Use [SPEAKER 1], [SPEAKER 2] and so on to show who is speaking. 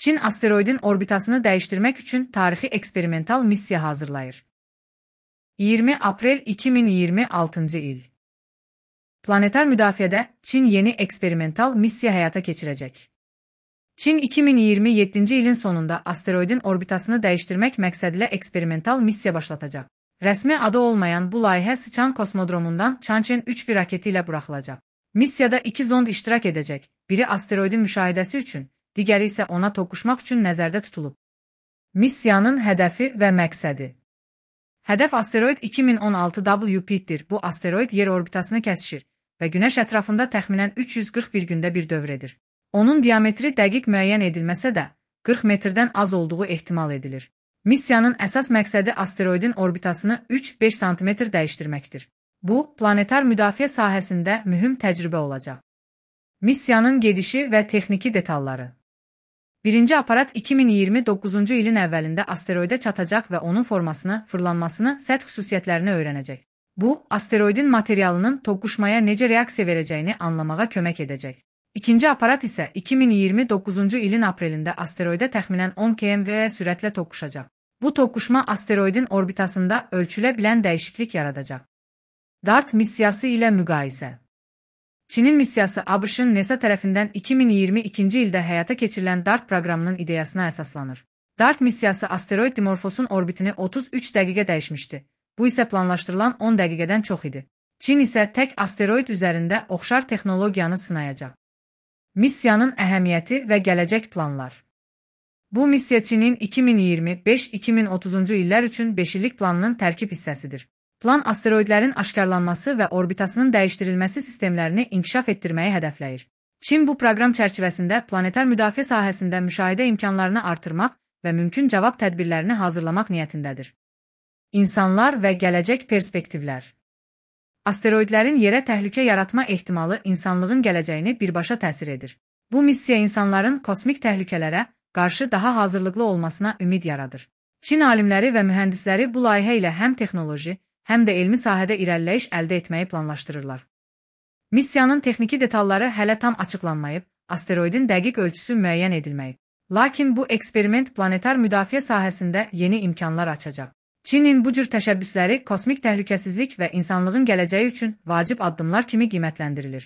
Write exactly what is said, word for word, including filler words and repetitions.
[SPEAKER 1] Çin asteroidin orbitasını dəyişdirmək üçün tarixi eksperimental missiya hazırlayır. iyirmi aprel iki min iyirmi altıncı il. Planetar müdafiədə Çin yeni eksperimental missiya həyata keçirəcək. Çin iki min iyirmi yeddinci ilin sonunda asteroidin orbitasını dəyişdirmək məqsədilə eksperimental missiya başlatacaq. Rəsmi adı olmayan bu layihə Sıçan kosmodromundan Chang'e üç bir raketi ilə buraxılacaq. Missiyada iki zond iştirak edəcək, biri asteroidin müşahidəsi üçün, digəri isə ona toqquşmaq üçün nəzərdə tutulub. Missiyanın hədəfi və məqsədi. Hədəf asteroid iki min on altı W P-dir. Bu asteroid yer orbitasını kəsişir və Günəş ətrafında təxminən üç yüz qırx bir gündə bir dövr edir. Onun diametri dəqiq müəyyən edilməsə də, qırx metrdən az olduğu ehtimal edilir. Missiyanın əsas məqsədi asteroidin orbitasını üç beş santimetr dəyişdirməkdir. Bu, planetar müdafiə sahəsində mühüm təcrübə olacaq. Missiyanın gedişi və texniki detalları. Birinci aparat iki min iyirmi doqquzuncu ilin əvvəlində asteroidə çatacaq və onun formasını, fırlanmasını, səth xüsusiyyətlərini öyrənəcək. Bu, asteroidin materialının toqquşmaya necə reaksiya verəcəyini anlamağa kömək edəcək. İkinci aparat isə iki min iyirmi doqquzuncu ilin aprelində asteroidə təxminən on kilometr sürətlə toqquşacaq. Bu toqquşma asteroidin orbitasında ölçülə bilən dəyişiklik yaradacaq. DART missiyası ilə müqayisə. Çinin missiyası ABŞ-ın NASA tərəfindən iki min iyirmi ikinci ildə həyata keçirilən DART proqramının ideyasına əsaslanır. DART missiyası asteroid Dimorphosun orbitini otuz üç dəqiqə dəyişmişdi. Bu isə planlaşdırılan on dəqiqədən çox idi. Çin isə tək asteroid üzərində oxşar texnologiyanı sınayacaq. Missiyanın əhəmiyyəti və gələcək planlar. Bu missiya Çinin iki min iyirmi beş iki min otuzuncu illər üçün beş illik planının tərkib hissəsidir. Plan asteroidlərin aşkarlanması və orbitasının dəyişdirilməsi sistemlərini inkişaf etdirməyi hədəfləyir. Çin bu proqram çərçivəsində planetar müdafiə sahəsində müşahidə imkanlarını artırmaq və mümkün cavab tədbirlərini hazırlamaq niyyətindədir. İnsanlar və gələcək perspektivlər. Asteroidlərin yerə təhlükə yaratma ehtimalı insanlığın gələcəyini birbaşa təsir edir. Bu missiya insanların kosmik təhlükələrə qarşı daha hazırlıqlı olmasına ümid yaradır. Çin alimləri və mühəndisləri bu layihə ilə həm texnoloji, həm də elmi sahədə irəliləyiş əldə etməyi planlaşdırırlar. Missiyanın texniki detalları hələ tam açıqlanmayıb, asteroidin dəqiq ölçüsü müəyyən edilməyib. Lakin bu eksperiment planetar müdafiə sahəsində yeni imkanlar açacaq. Çinin bu cür təşəbbüsləri kosmik təhlükəsizlik və insanlığın gələcəyi üçün vacib addımlar kimi qiymətləndirilir.